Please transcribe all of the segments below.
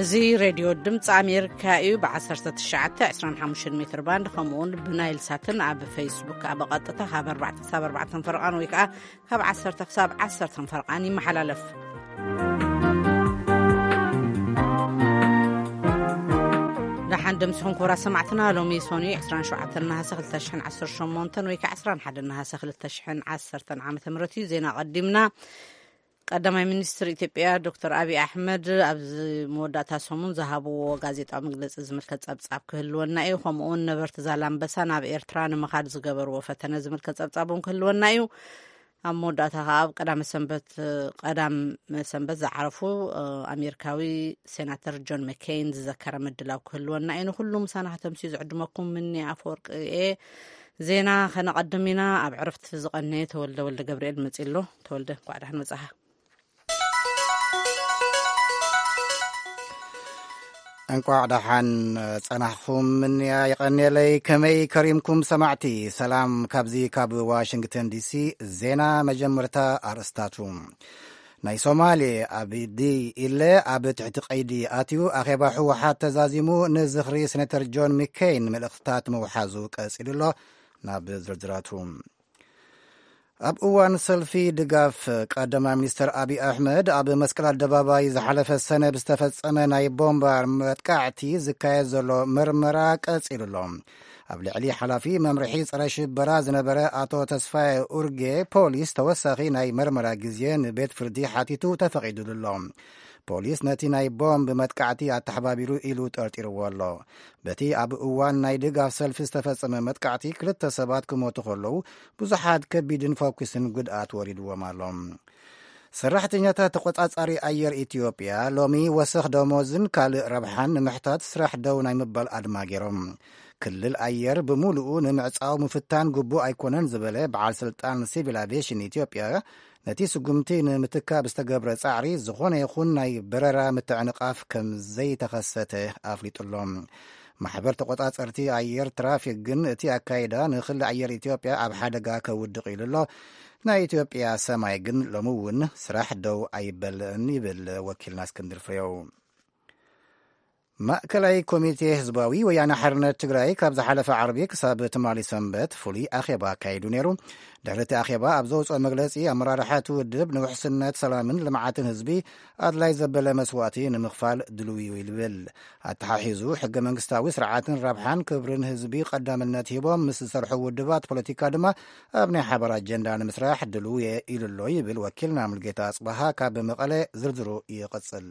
እዚ ሬድዮ ድምፂ ኣሜሪካ እዩ። ብ19፣ 25 ሜትር ባንድ፣ ከምኡውን ብናይል ሳትን ኣብ ፌስቡክ ኣብ ቀጥታ ካብ ኣርባዕተ ክሳብ ኣርባዕተ ፈረቓን ወይ ከዓ ካብ ዓሰርተ ክሳብ ዓሰርተ ፈረቓን ይመሓላለፍ። ደሓን ደምስኹም ክቡራት ሰማዕትና። ሎሚ ሶኒ 27 ነሃሰ 2018 ወይ ከዓ 21 ነሃሰ 2010 ዓመተ ምህረት እዩ። ዜና ቀዲምና። ቀዳማይ ሚኒስትር ኢትዮጵያ ዶክተር ኣብይ ኣሕመድ ኣብዚ መወዳእታ ሰሙን ዝሃብዎ ጋዜጣዊ መግለጺ ዝምልከት ጸብጻብ ክህልወና እዩ። ከምኡውን ነበርቲ ዛላምበሳ ናብ ኤርትራ ንምኻድ ዝገበርዎ ፈተነ ዝምልከት ጸብጻብ እውን ክህልወና እዩ። ኣብ መወዳእታ ከኣ ኣብ ቀዳመ ሰንበት፣ ቀዳም ሰንበት ዝዓረፉ፣ እ፣ ኣሜሪካዊ ሴናተር ጆን መኬይን ዝዘከረ ምድላው ክህልወና እዩ። ንኹሉ ምሳና ከተምስዩ ዝዕድመኩም ምኒ ኣፈወርቂ እየ። ዜና ከነቐድም ኢና። ኣብ ዕረፍቲ ዝቐነየ ተወልደ ወልደ ገብርኤል መጺእ ኣሎ። ተወልደ፣ እንኳዕ ደሓን መጻኻ። እንቋዕ ደሓን ጸናሕኩም። ምንያ የቐንየለይ። ከመይ ከሪምኩም ሰማዕቲ? ሰላም ካብዚ ካብ ዋሽንግተን ዲሲ። ዜና መጀመርታ ኣርእስታቱ። ናይ ሶማሌ ኣብዲ ኢለ ኣብ ትሕቲ ቀይዲ ኣትዩ። ኣኼባ ህወሓት ተዛዚሙ። ንዝኽሪ ሴኔተር ጆን ሚኬይን መልእኽትታት ምውሓዙ ቀጺሉ ኣሎ። ናብ ዝርዝራቱ። ኣብ እዋን ሰልፊ ድጋፍ ቀዳማይ ሚኒስተር ኣብይ ኣሕመድ ኣብ መስቀል ኣደባባይ ዝሓለፈ ሰነ ብዝተፈጸመ ናይ ቦምባ መጥቃዕቲ ዝካየድ ዘሎ መርመራ ቀጺሉ ኣሎ። ኣብ ልዕሊ ሓላፊ መምርሒ ጸረ ሽበራ ዝነበረ ኣቶ ተስፋዬ ኡርጌ ፖሊስ ተወሳኺ ናይ መርመራ ግዜ ንቤት ፍርዲ ሓቲቱ ተፈቒዱሉ ኣሎ። ፖሊስ ነቲ ናይ ቦምብ መጥቃዕቲ ኣተሓባቢሩ ኢሉ ጠርጢርዎ ኣሎ። በቲ ኣብ እዋን ናይ ድጋፍ ሰልፊ ዝተፈጸመ መጥቃዕቲ ክልተ ሰባት ክሞቱ ከለዉ፣ ብዙሓት ከቢድን ፈኲስን ጉድኣት ወሪድዎም ኣሎ። ሰራሕተኛታት ተቖጻጻሪ ኣየር ኢትዮጵያ ሎሚ ወሰኽ ደሞዝን ካልእ ረብሓን ንምሕታት ስራሕ ደው ናይ ምባል ኣድማ ገይሮም። ክልል ኣየር ብምሉኡ ንምዕጻው ምፍታን ግቡእ ኣይኮነን ዝበለ በዓል ስልጣን ሲቪል ኣቪዬሽን ኢትዮጵያ፣ ነቲ ስጉምቲ ንምትካእ ብዝተገብረ ጻዕሪ ዝኾነ ይኹን ናይ በረራ ምትዕንቓፍ ከም ዘይተኸሰተ ኣፍሊጡ ኣሎ። ማሕበር ተቖጻጸርቲ ኣየር ትራፊክ ግን እቲ ኣካይዳ ንክሊ ኣየር ኢትዮጵያ ኣብ ሓደጋ ከውድቕ ኢሉ ኣሎ። ናይ ኢትዮጵያ ሰማይ ግን ሎሚ እውን ስራሕ ደው ኣይበልዕን ይብል ወኪልና እስክንድር ፍሬው። ማእከላይ ኮሚቴ ህዝባዊ ወያነ ሓርነት ትግራይ ካብ ዝሓለፈ ዓርቢ ክሳብ ትማሊ ሰንበት ፍሉይ ኣኼባ ኣካይዱ ነይሩ። ድሕሪ እቲ ኣኼባ ኣብ ዘውፅኦ መግለፂ፣ ኣመራርሓ እቲ ውድብ ንውሕስነት፣ ሰላምን ልምዓትን ህዝቢ ኣድላይ ዘበለ መስዋእቲ ንምኽፋል ድልው እዩ ይብል። ኣተሓሒዙ፣ ሕገ መንግስታዊ ስርዓትን ረብሓን ክብርን ህዝቢ ቀዳምነት ሂቦም ምስ ዝሰርሑ ውድባት ፖለቲካ ድማ ኣብ ናይ ሓባር ኣጀንዳ ንምስራሕ ድልው እየ ኢሉ ኣሎ ይብል ወኪልና ሙልጌታ ኣጽበሃ ካብ መቐለ። ዝርዝሩ ይቕጽል።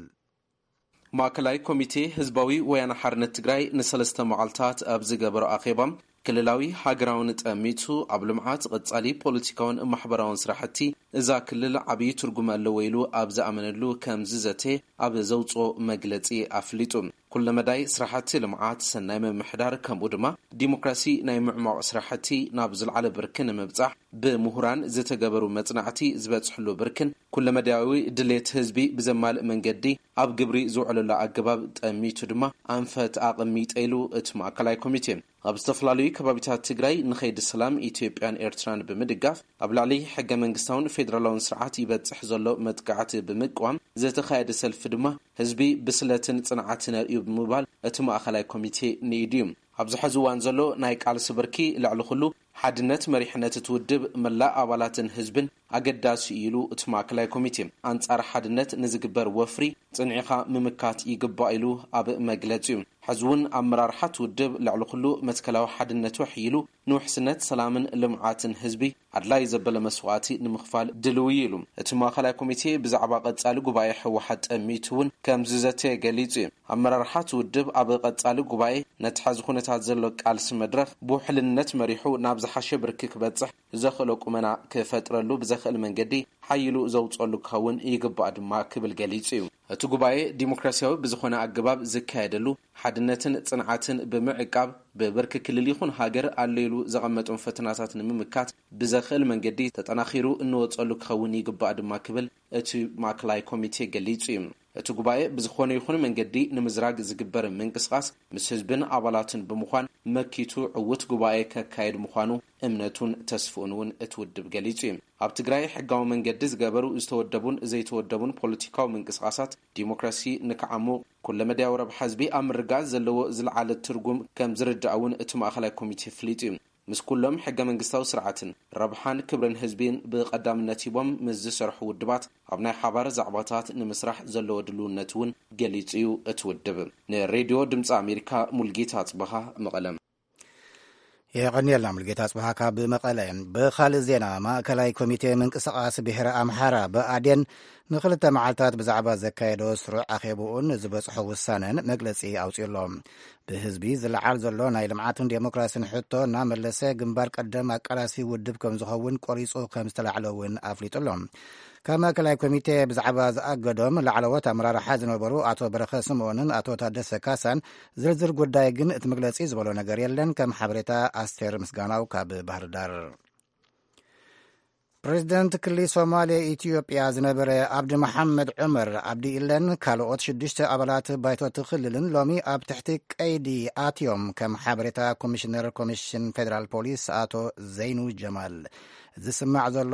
ማእከላይ ኮሚቴ ህዝባዊ ወያነ ሓርነት ትግራይ ንሰለስተ መዓልታት ኣብ ዝገበሮ ኣኼባ፣ ክልላዊ ሃገራውን ጠሚቱ ኣብ ልምዓት፣ ቐጻሊ ፖለቲካውን ማሕበራውን ስራሕቲ እዛ ክልል ዓብዪ ትርጉም ኣለዎ ኢሉ ኣብ ዝኣመነሉ ከም ዝዘተ ኣብ ዘውፅኦ መግለፂ ኣፍሊጡ። ኩለመዳይ ስራሕቲ ልምዓት፣ ሰናይ ምምሕዳር ከምኡ ድማ ዲሞክራሲ ናይ ምዕሟቕ ስራሕቲ ናብ ዝለዓለ ብርኪ ንምብጻሕ ብምሁራን ዝተገበሩ መጽናዕቲ ዝበጽሕሉ ብርክን ኩለመዳያዊ ድሌት ህዝቢ ብዘማልእ መንገዲ ኣብ ግብሪ ዝውዕለሉ ኣገባብ ጠሚቱ ድማ ኣንፈት ኣቐሚጠ ኢሉ እቲ ማእከላይ ኮሚቴ። ኣብ ዝተፈላለዩ ከባቢታት ትግራይ ንኸይዲ ሰላም ኢትዮጵያን ኤርትራን ብምድጋፍ ኣብ ልዕሊ ሕገ መንግስታውን ፌደራላውን ስርዓት ይበጽሕ ዘሎ መጥቃዕቲ ብምቅዋም ዝተኻየደ ሰልፊ ድማ ህዝቢ ብስለትን ጽንዓትን ኣርእዩ ብምባል እቲ ማእከላይ ኮሚቴ ንኢዱ እዩ። ኣብዚ ሕዚ እዋን ዘሎ ናይ ቃልሲ ብርኪ ልዕሊ ኩሉ ሓድነት መሪሕነት እቲ ውድብ መላእ ኣባላትን ህዝብን ኣገዳሲ እዩ ኢሉ እቲ ማእከላይ ኮሚቴ። ኣንጻር ሓድነት ንዝግበር ወፍሪ ጽንዒኻ ምምካት ይግባእ ኢሉ ኣብ መግለጺኡ። ሕዚ እውን ኣመራርሓ እቲ ውድብ ልዕሊ ኩሉ መትከላዊ ሓድነቱ ኣሕይሉ ንውሕስነት ሰላምን ልምዓትን ህዝቢ ኣድላይ ዘበለ መስዋእቲ ንምኽፋል ድልው እዩ ኢሉ። እቲ ማእከላይ ኮሚቴ ብዛዕባ ቀጻሊ ጉባኤ ህወሓት ጠሚቱ እውን ከም ዝዘተየ ገሊጹ እዩ። ኣመራርሓ እቲ ውድብ ኣብ ቀጻሊ ጉባኤ ነቲ ሕዚ ኩነታት ዘሎ ቃልሲ መድረኽ ብውሕልነት መሪሑ ናብ ዝሓሸ ብርኪ ክበጽሕ ዘኽእሎ ቁመና ክፈጥረሉ ብዘኽእል መንገዲ ሓይሉ ዘውጸሉ ክኸውን ይግባእ ድማ ክብል ገሊጹ እዩ። እቲ ጉባኤ ዲሞክራሲያዊ ብዝኾነ ኣገባብ ዝካየደሉ፣ ሓድነትን ጽንዓትን ብምዕቃብ ብብርኪ ክልል ይኹን ሃገር ኣሎ ኢሉ ዘቐመጦም ፈተናታት ንምምካት ብዘኽእል መንገዲ ተጠናኺሩ እንወጸሉ ክኸውን ይግባእ ድማ ክብል እቲ ማእከላይ ኮሚቴ ገሊጹ እዩ። እቲ ጉባኤ ብዝኾነ ይኹን መንገዲ ንምዝራግ ዝግበር ምንቅስቓስ ምስ ህዝብን ኣባላትን ብምዃን መኪቱ ዕዉት ጉባኤ ከካየድ ምዃኑ እምነቱን ተስፍኡን እውን እቲ ውድብ ገሊጹ እዩ። ኣብ ትግራይ ሕጋዊ መንገዲ ዝገበሩ ዝተወደቡን ዘይተወደቡን ፖለቲካዊ ምንቅስቓሳት ዲሞክራሲ ንክዓሙ፣ ኩለመዳያዊ ረብሓ ህዝቢ ኣብ ምርጋጽ ዘለዎ ዝለዓለ ትርጉም ከም ዝርዳእ እውን እቲ ማእኸላይ ኮሚቴ ፍሊጡ እዩ። ምስ ኩሎም ሕገ መንግስታዊ ስርዓትን ረብሓን ክብርን ህዝቢን ብቐዳምነት ሂቦም ምስ ዝሰርሑ ውድባት ኣብ ናይ ሓባር ዛዕባታት ንምስራሕ ዘለዎ ድልውነት እውን ገሊጹ እዩ እቲ ውድብ። ንሬድዮ ድምፂ ኣሜሪካ ሙልጌታ ኣጽበሃ መቐለም። የቐንየልና ሙልጌታ ኣጽበሃ ካብ መቐለ። ብኻልእ ዜና፣ ማእከላይ ኮሚቴ ምንቅስቓስ ብሔረ ኣምሓራ ብኣዴን ንክልተ መዓልታት ብዛዕባ ዘካየዶ ስሩዕ ኣኼብኡን ዝበጽሖ ውሳነን መግለጺ ኣውጺኡ ኣሎ። ብህዝቢ ዝለዓል ዘሎ ናይ ልምዓትን ዴሞክራሲን ሕቶ እናመለሰ ግንባር ቀደም ኣቃላሲ ውድብ ከም ዝኸውን ቆሪጹ ከም ዝተላዕለ እውን ኣፍሊጡ ኣሎ። ካብ ማእከላይ ኮሚቴ ብዛዕባ ዝኣገዶም ላዕለዎት ኣመራርሓ ዝነበሩ ኣቶ በረኸ ስምኦንን ኣቶ ታደሰ ካሳን ዝርዝር ጉዳይ ግን እቲ መግለጺ ዝበሎ ነገር የለን። ከም ሓበሬታ ኣስቴር ምስጋናው ካብ ባህር ዳር። ፕሬዚደንት ክሊ ሶማሌ ኢትዮጵያ ዝነበረ ኣብዲ መሓመድ ዑመር ኣብዲ ኢለን ካልኦት ሽዱሽተ ኣባላት ባይቶ እቲ ክልልን ሎሚ ኣብ ትሕቲ ቀይዲ ኣትዮም። ከም ሓበሬታ ኮሚሽነር ኮሚሽን ፌደራል ፖሊስ ኣቶ ዘይኑ ጀማል፣ ዝስማዕ ዘሎ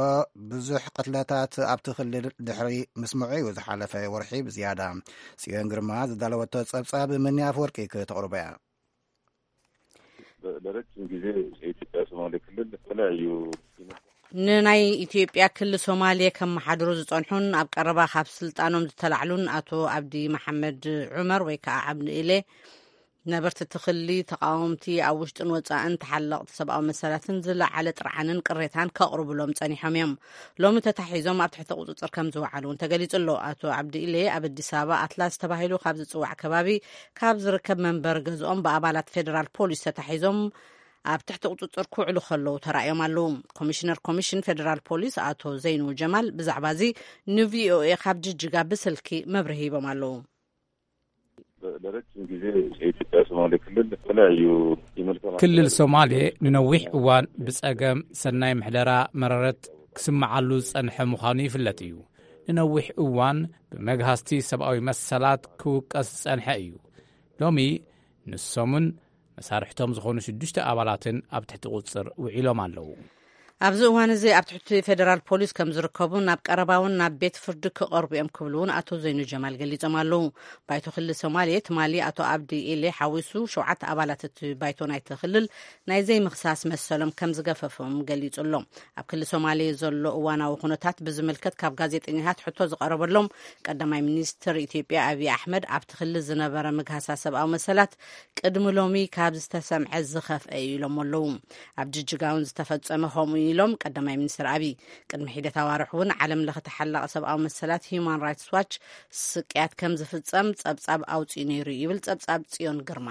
ብዙሕ ቅትለታት ኣብቲ ክልል ድሕሪ ምስምዑ እዩ ዝሓለፈ ወርሒ ብዝያዳ። ጽዮን ግርማ ዝዳለወቶ ጸብጻብ ምኒ ኣፈወርቂ ክተቕርቦ እያ። ለረጅም ጊዜ የኢትዮጵያ ሶማሌ ክልል የተለያዩ ንናይ ኢትዮጵያ ክሊ ሶማሌ ከመሓድሩ ዝጸንሑን ኣብ ቀረባ ካብ ስልጣኖም ዝተላዕሉን ኣቶ ኣብዲ መሓመድ ዑመር ወይ ከዓ ዓብዲ ኢሌ፣ ነበርቲ እቲ ክሊ፣ ተቃወምቲ፣ ኣብ ውሽጥን ወጻእን ተሓለቕቲ ሰብኣዊ መሰላትን ዝለዓለ ጥርዓንን ቅሬታን ከቕርቡሎም ጸኒሖም እዮም። ሎሚ ተታሒዞም ኣብ ትሕቲ ቁጽጽር ከም ዝወዓሉ እውን ተገሊጹ ኣሎ። ኣቶ ዓብዲ ኢሌ ኣብ ኣዲስ ኣበባ ኣትላስ ተባሂሉ ካብ ዝጽዋዕ ከባቢ ካብ ዝርከብ መንበሪ ገዝኦም ብኣባላት ፌደራል ፖሊስ ተታሒዞም ኣብ ትሕቲ ቁጽጽር ክውዕሉ ከለዉ ተራእዮም ኣለዉ። ኮሚሽነር ኮሚሽን ፌደራል ፖሊስ ኣቶ ዘይኑ ጀማል ብዛዕባ እዚ ንቪኦኤ ካብ ጅጅጋ ብስልኪ መብርሂ ሂቦም ኣለዉ። ለረጅም ጊዜ የኢትዮጵያ ሶማሌ ክልል የተለያዩ የመልካም ክልል ሶማሌ ንነዊሕ እዋን ብጸገም ሰናይ ምሕደራ መረረት ክስምዓሉ ዝጸንሐ ምዃኑ ይፍለጥ እዩ። ንነዊሕ እዋን ብመግሃስቲ ሰብኣዊ መሰላት ክውቀስ ዝጸንሐ እዩ። ሎሚ ንሶምን መሳርሕቶም ዝኾኑ ሽዱሽተ ኣባላትን ኣብ ትሕቲ ቁጽር ውዒሎም ኣለዉ። ኣብዚ እዋን እዚ ኣብ ትሕቲ ፌደራል ፖሊስ ከም ዝርከቡ፣ ናብ ቀረባ እውን ናብ ቤት ፍርዲ ክቐርቡ እዮም ክብሉ እውን ኣቶ ዘይኑ ጀማል ገሊጾም ኣለዉ። ባይቶ ክልል ሶማሌ ትማሊ ኣቶ ኣብዲ ኢሌ ሓዊሱ ሸውዓተ ኣባላት እቲ ባይቶ ናይቲ ክልል ናይ ዘይምኽሳስ መሰሎም ከም ዝገፈፎም ገሊጹ ኣሎ። ኣብ ክልል ሶማሌ ዘሎ እዋናዊ ኩነታት ብዝምልከት ካብ ጋዜጠኛታት ሕቶ ዝቐረበሎም ቀዳማይ ሚኒስትር ኢትዮጵያ ኣብይ ኣሕመድ፣ ኣብቲ ክልል ዝነበረ ምግሃሳ ሰብኣዊ መሰላት ቅድሚ ሎሚ ካብ ዝተሰምዐ ዝኸፍአ እዩ ኢሎም ኣለዉ። ኣብ ጅጅጋ እውን ዝተፈጸመ ከምኡ ኢሎም ቀዳማይ ሚኒስትር ኣብይ። ቅድሚ ሒደት ኣዋርሕ እውን ዓለም ለኸ ተሓላቒ ሰብኣዊ መሰላት ሂዩማን ራይትስ ዋች ስቅያት ከም ዝፍጸም ጸብጻብ ኣውጺኡ ነይሩ ይብል ጸብጻብ ጽዮን ግርማ።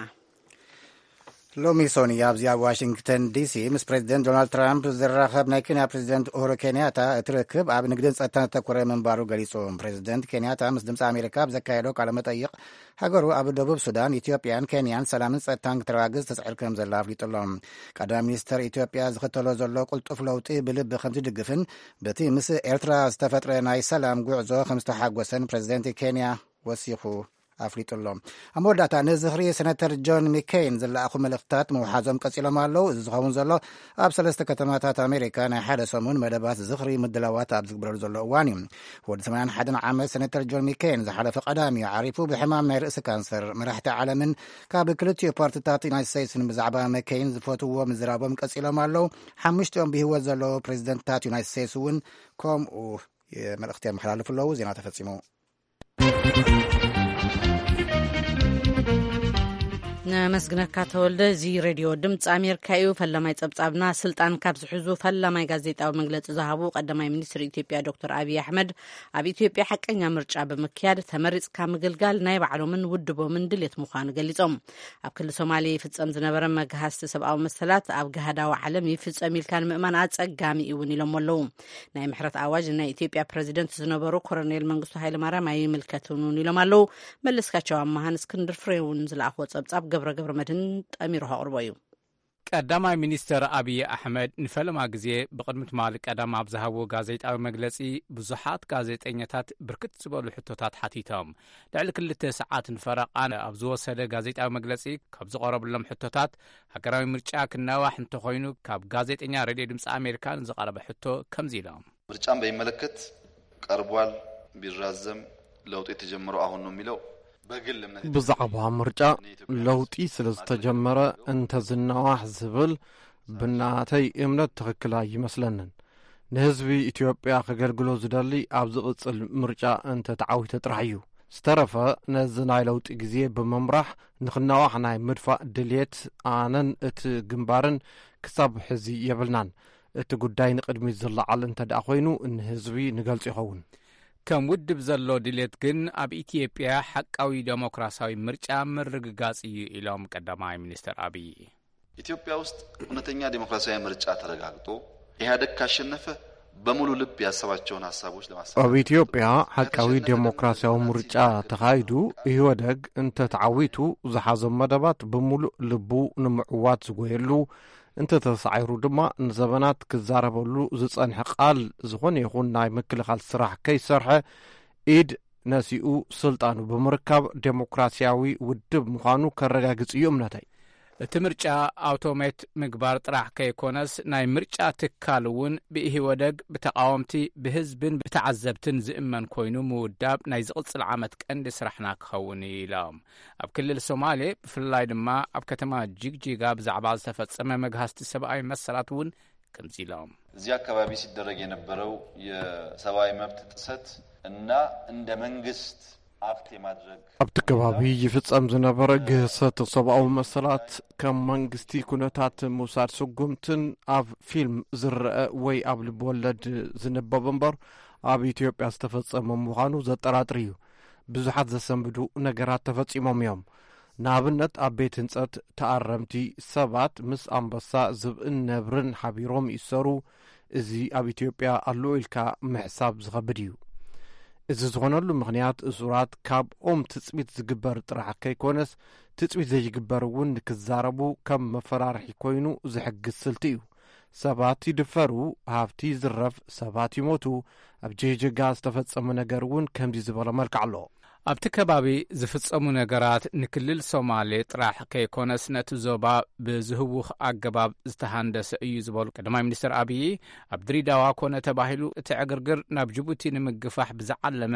ሎሚ ሶኒ ኣብዚ ኣብ ዋሽንግተን ዲሲ ምስ ፕሬዚደንት ዶናልድ ትራምፕ ዝራኸብ ናይ ኬንያ ፕሬዚደንት ኡሁሩ ኬንያታ፣ እቲ ርክብ ኣብ ንግድን ጸጥታን ዘተኮረ ምንባሩ ገሊጹ። ፕሬዚደንት ኬንያታ ምስ ድምፂ ኣሜሪካ ኣብ ዘካየዶ ቃለ መጠይቕ፣ ሃገሩ ኣብ ደቡብ ሱዳን፣ ኢትዮጵያን ኬንያን ሰላምን ጸጥታን ክትረጋግጽ ትጽዕር ከም ዘላ ኣፍሊጡ ኣሎ። ቀዳማይ ሚኒስተር ኢትዮጵያ ዝኽተሎ ዘሎ ቅልጡፍ ለውጢ ብልቢ ከም ዝድግፍን በቲ ምስ ኤርትራ ዝተፈጥረ ናይ ሰላም ጉዕዞ ከም ዝተሓጎሰን ፕሬዚደንት ኬንያ ወሲኹ ኣፍሊጡ ኣሎ። ኣብ መወዳእታ፣ ንዝኽሪ ሰነተር ጆን ሚኬን ዝለኣኹ መልእኽትታት ምውሓዞም ቀጺሎም ኣለዉ። እዚ ዝኸውን ዘሎ ኣብ ሰለስተ ከተማታት ኣሜሪካ ናይ ሓደ ሰሙን መደባት ዝኽሪ ምድላዋት ኣብ ዝግበረሉ ዘሎ እዋን እዩ። ወዲ ሰማንያን ሓደን ዓመት ሰነተር ጆን ሚኬን ዝሓለፈ ቀዳም እዩ ዓሪፉ ብሕማም ናይ ርእሲ ካንሰር። መራሕቲ ዓለምን ካብ ክልቲኡ ፓርቲታት ዩናይትድ ስቴትስን ብዛዕባ መኬን ዝፈትውዎ ምዝራቦም ቀጺሎም ኣለዉ። ሓሙሽቲኦም ብህይወት ዘለዉ ፕሬዚደንትታት ዩናይትድ ስቴትስ እውን ከምኡ መልእኽቲ የመሓላልፉ ኣለዉ። ዜና ተፈጺሙ። ነመስግነካ ተወልደ። እዚ ሬድዮ ድምፂ ኣሜሪካ እዩ። ፈላማይ ጸብጻብና፣ ስልጣን ካብ ዝሕዙ ፈላማይ ጋዜጣዊ መግለጺ ዝሃቡ ቀዳማይ ሚኒስትር ኢትዮጵያ ዶክተር ኣብይ ኣሕመድ፣ ኣብ ኢትዮጵያ ሓቀኛ ምርጫ ብምክያድ ተመሪጽካ ምግልጋል ናይ ባዕሎምን ውድቦምን ድሌት ምዃኑ ገሊጾም። ኣብ ክልል ሶማሌ ይፍጸም ዝነበረ መግሃስቲ ሰብኣዊ መሰላት ኣብ ገሃዳዊ ዓለም ይፍጸም ኢልካ ንምእማን ኣጸጋሚ እውን ኢሎም ኣለዉ። ናይ ምሕረት ኣዋጅ ናይ ኢትዮጵያ ፕረዚደንት ዝነበሩ ኮሎኔል መንግስቱ ሃይለማርያም ኣይምልከትን እውን ኢሎም ኣለዉ። መለስካቸው ኣማሃን እስክንድር ፍሬውን ዝለኣኽዎ ጸብጻብ ገብረ ገብረ መድህን ጠሚሩ ከቕርቦ እዩ። ቀዳማይ ሚኒስተር ኣብይ ኣሕመድ ንፈለማ ግዜ ብቕድሚ ትማሊ ቀዳም ኣብ ዝሃብዎ ጋዜጣዊ መግለጺ፣ ብዙሓት ጋዜጠኛታት ብርክት ዝበሉ ሕቶታት ሓቲቶም። ልዕሊ ክልተ ሰዓት ንፈረቓ ኣብ ዝወሰደ ጋዜጣዊ መግለጺ፣ ካብ ዝቐረብሎም ሕቶታት፣ ሃገራዊ ምርጫ ክናዋሕ እንተኾይኑ፣ ካብ ጋዜጠኛ ሬድዮ ድምፂ ኣሜሪካ ንዝቐረበ ሕቶ ከምዚ ኢሎም። ምርጫን በሚመለከት ቀርቧል፣ ቢራዘም ለውጥ የተጀመረው አሁን ነው የሚለው በግል እምነት ብዛዕባ ምርጫ ለውጢ ስለ ዝተጀመረ እንተዝናዋሕ ዝብል ብናተይ እምነት ትኽክል ኣይመስለንን። ንህዝቢ ኢትዮጵያ ከገልግሎ ዝደሊ ኣብ ዝቕጽል ምርጫ እንተተዓዊተ ጥራሕ እዩ። ዝተረፈ ነዚ ናይ ለውጢ ግዜ ብምምራሕ ንኽናዋሕ ናይ ምድፋእ ድልየት ኣነን እቲ ግንባርን ክሳብ ሕዚ የብልናን። እቲ ጉዳይ ንቕድሚት ዝለዓል እንተ ደኣ ኮይኑ ንህዝቢ ንገልጾ ይኸውን። ከም ውድብ ዘሎ ድልየት ግን ኣብ ኢትዮጵያ ሓቃዊ ደሞክራሲያዊ ምርጫ ምርግጋጽ እዩ ኢሎም ቀዳማይ ሚኒስተር ኣብይ። ኢትዮጵያ ውስጥ እውነተኛ ዴሞክራሲያዊ ምርጫ ተረጋግጦ ኢህአደግ ካሸነፈ በሙሉ ልብ ያሰባቸውን ሀሳቦች ለማሳካት ኣብ ኢትዮጵያ ሓቃዊ ዴሞክራሲያዊ ምርጫ ተኻይዱ ኢህወደግ እንተተዓዊቱ ዝሓዞም መደባት ብምሉእ ልቡ ንምዕዋት ዝጎየሉ እንተተሳዒሩ ድማ ንዘበናት ክዛረበሉ ዝጸንሐ ቃል ዝኾነ ይኹን ናይ ምክልኻል ስራሕ ከይሰርሐ ኢድ ነሲኡ ስልጣኑ ብምርካብ ዴሞክራሲያዊ ውድብ ምዃኑ ከረጋግጽ እዩ እምነተይ። እቲ ምርጫ ኣውቶሜት ምግባር ጥራሕ ከይኮነስ ናይ ምርጫ ትካል እውን ብኢህወደግ ብተቃወምቲ ብህዝብን ብተዓዘብትን ዝእመን ኮይኑ ምውዳብ ናይ ዝቕጽል ዓመት ቀንዲ ስራሕና ክኸውን እዩ ኢሎም። ኣብ ክልል ሶማሌ ብፍላይ ድማ ኣብ ከተማ ጅግጅጋ ብዛዕባ ዝተፈጸመ መግሃስቲ ሰብኣዊ መሰላት እውን ከምዚ ኢሎም። እዚህ አካባቢ ሲደረግ የነበረው የሰብአዊ መብት ጥሰት እና እንደ መንግስት አክት የማድረግ ኣብቲ ከባቢ ይፍጸም ዝነበረ ግህሰት ሰብኣዊ መሰላት ከም መንግስቲ ኩነታት ምውሳድ ስጉምትን ኣብ ፊልም ዝረአ ወይ ኣብ ልብወለድ ዝንበብ እምበር ኣብ ኢትዮጵያ ዝተፈጸመ ምዃኑ ዘጠራጥር እዩ። ብዙሓት ዘሰንብዱ ነገራት ተፈጺሞም እዮም። ንኣብነት ኣብ ቤት ህንጸት ተኣረምቲ ሰባት ምስ ኣንበሳ ዝብእን ነብርን ሓቢሮም ይእሰሩ። እዚ ኣብ ኢትዮጵያ ኣሎ ኢልካ ምሕሳብ ዝኸብድ እዩ። እዚ ዝኾነሉ ምኽንያት እሱራት ካብኦም ትጽቢት ዝግበር ጥራሕ ከይኮነስ ትጽቢት ዘይግበር እውን ንክዛረቡ ከም መፈራርሒ ኮይኑ ዝሕግዝ ስልቲ እዩ። ሰባት ይድፈሩ፣ ሃብቲ ይዝረፍ፣ ሰባት ይሞቱ። ኣብ ጅህጅጋ ዝተፈጸመ ነገር እውን ከምዚ ዝበለ መልክዕ ኣሎ። ኣብቲ ከባቢ ዝፍጸሙ ነገራት ንክልል ሶማሌ ጥራሕ ከይኮነስ ነቲ ዞባ ብዝህውኽ ኣገባብ ዝተሃንደሰ እዩ ዝበሉ ቀዳማይ ሚኒስትር ኣብዪ፣ ኣብ ድሪዳዋ ኮነ ተባሂሉ እቲ ዕግርግር ናብ ጅቡቲ ንምግፋሕ ብዝዓለመ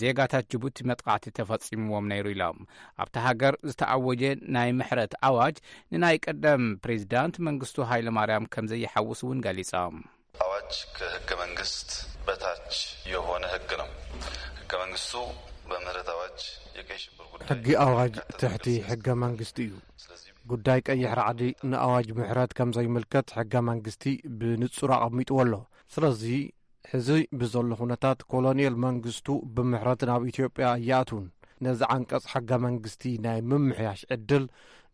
ዜጋታት ጅቡቲ መጥቓዕቲ ተፈጺምዎም ነይሩ ኢሎም። ኣብቲ ሃገር ዝተኣወጀ ናይ ምሕረት ኣዋጅ ንናይ ቀደም ፕሬዚዳንት መንግስቱ ሃይለማርያም ከም ዘይሓውስ እውን ገሊጾም። አዋጅ ከህገ መንግስት በታች የሆነ ህግ ነው። ህገ መንግስቱ በምህረት አዋጅ የቀይ ሽብር ጉዳይ ሕጊ ኣዋጅ ትሕቲ ሕገ መንግስቲ እዩ። ጉዳይ ቀይሕ ራዕዲ ንኣዋጅ ምሕረት ከም ዘይምልከት ሕገ መንግስቲ ብንጹር ኣቐሚጥዎ ኣሎ። ስለዚ ሕዚ ብዘሎ ኩነታት ኮሎኔል መንግስቱ ብምሕረት ናብ ኢትዮጵያ ኣይኣትውን። ነዚ ዓንቀጽ ሕገ መንግስቲ ናይ ምምሕያሽ ዕድል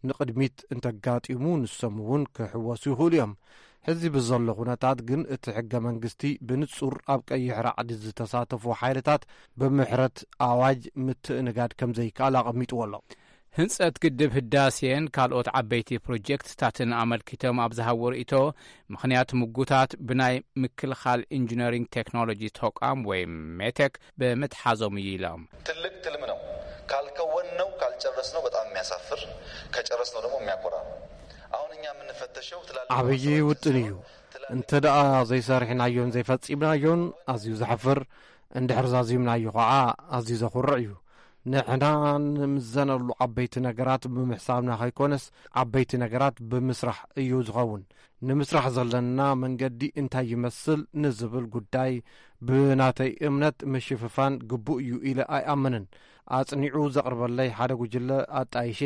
ንቕድሚት እንተጋጢሙ ንሶም እውን ክሕወሱ ይኽእሉ እዮም። ሕዚ ብዘሎ ኩነታት ግን እቲ ሕገ መንግስቲ ብንጹር ኣብ ቀይሕ ራዕዲ ዝተሳተፉ ሓይልታት ብምሕረት ኣዋጅ ምትእንጋድ ከም ዘይከኣል ኣቐሚጥዎ ኣሎ። ህንጸት ግድብ ህዳሴን ካልኦት ዓበይቲ ፕሮጀክትታትን ኣመልኪቶም ኣብ ዝሃብዎ ርእይቶ፣ ምኽንያት ምጉታት ብናይ ምክልኻል ኢንጂነሪንግ ቴክኖሎጂ ተቋም ወይ ሜቴክ ብምትሓዞም እዩ ኢሎም። ትልቅ ትልም ነው። ካልከወን ነው ካልጨረስ ነው በጣም የሚያሳፍር፣ ከጨረስ ነው ደግሞ የሚያኮራ ነው። አሁን እኛ የምንፈተሸው ትላልቅ ዓብዪ ውጥን እዩ። እንተ ደኣ ዘይሰርሕናዮን ዘይፈጺምናዮን ኣዝዩ ዘሕፍር፣ እንድሕር ዛዚምናዮ ኸዓ ኣዝዩ ዘኹርዕ እዩ። ንሕና ንምዘነሉ ዓበይቲ ነገራት ብምሕሳብና ከይኮነስ ዓበይቲ ነገራት ብምስራሕ እዩ ዝኸውን። ንምስራሕ ዘለና መንገዲ እንታይ ይመስል ንዝብል ጉዳይ ብናተይ እምነት ምሽፍፋን ግቡእ እዩ ኢለ ኣይኣምንን። ኣጽኒዑ ዘቕርበለይ ሓደ ጉጅለ ኣጣይሼ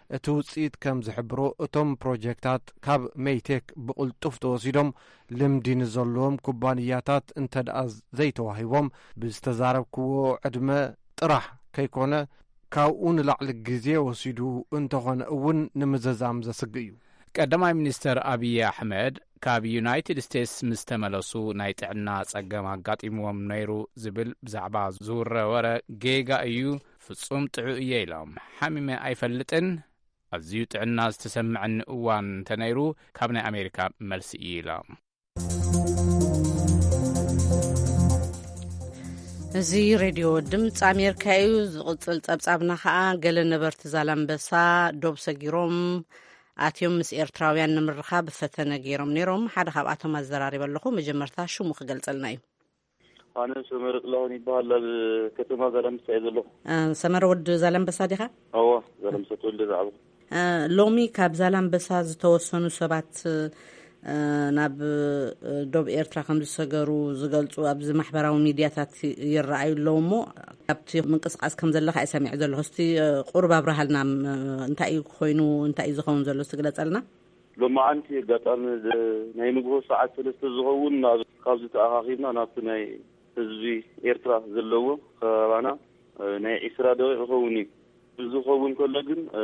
እቲ ውጽኢት ከም ዝሕብሮ እቶም ፕሮጀክታት ካብ ሜይቴክ ብቕልጡፍ ተወሲዶም ልምዲ ንዘለዎም ኩባንያታት እንተ ደኣ ዘይተዋሂቦም ብዝተዛረብክዎ ዕድመ ጥራሕ ከይኮነ ካብኡ ንላዕሊ ግዜ ወሲዱ እንተኾነ እውን ንምዝዛም ዘስግእ እዩ። ቀዳማይ ሚኒስተር ኣብዪ ኣሕመድ ካብ ዩናይትድ ስቴትስ ምስ ተመለሱ ናይ ጥዕና ጸገም ኣጋጢምዎም ነይሩ ዝብል ብዛዕባ ዝውረ ወረ ጌጋ እዩ፣ ፍጹም ጥዑይ እየ ኢሎም። ሓሚመ ኣይፈልጥን፣ ኣዝዩ ጥዕና ዝተሰምዐኒ እዋን እንተነይሩ፣ ካብ ናይ ኣሜሪካ መልሲ እዩ ኢላ። እዚ ሬድዮ ድምፂ ኣሜሪካ እዩ። ዝቕፅል ጸብጻብና ኸኣ፣ ገለ ነበርቲ ዛላምበሳ ዶብ ሰጊሮም ኣትዮም ምስ ኤርትራውያን ንምርኻብ ፈተነ ገይሮም ነይሮም። ሓደ ካብኣቶም ኣዘራሪበ ኣለኹ። መጀመርታ ሽሙ ክገልጸልና እዩ። ኣነ ሰመረ ጥላሁን ይበሃል። ኣብ ከተማ ዛላምበሳ እየ ዘለኹ። እ፣ ሰመረ ወዲ ዛላምበሳ ዲኻ? እወ፣ ዛላምበሳ ተወልደ ዝዓበኹ። እ፣ ሎሚ ካብ ዛላምበሳ ዝተወሰኑ ሰባት፣ እ፣ ናብ፣ እ፣ ዶብ ኤርትራ ከም ዝሰገሩ ዝገልጹ ኣብዚ ማሕበራዊ ሚድያታት ይረኣዩ ኣለዉ። እሞ ካብቲ ምንቅስቃስ ከም ዘለኻ እየ ሰሚዐ ዘለኹ። እስቲ፣ እ፣ ቁሩብ ኣብርሃልና፣ እ፣ እንታይ እዩ ኮይኑ፣ እንታይ እዩ ዝኸውን ዘሎ? እስቲ ግለጸልና። ሎማዓንቲ ኣጋጣሚ ዝ-፣ ናይ ንግሆ ሰዓት ሰለስተ ዝኸውን ናብ፣ ካብዚ ተኣኻኺብና ናብቲ ናይ ህዝቢ ኤርትራ ዘለዎ ከባባና፣ እ፣ ናይ ዒስራ ደቂቕ ይኸውን እዩ። እዚ ክኸውን ከሎ ግን፣ እ፣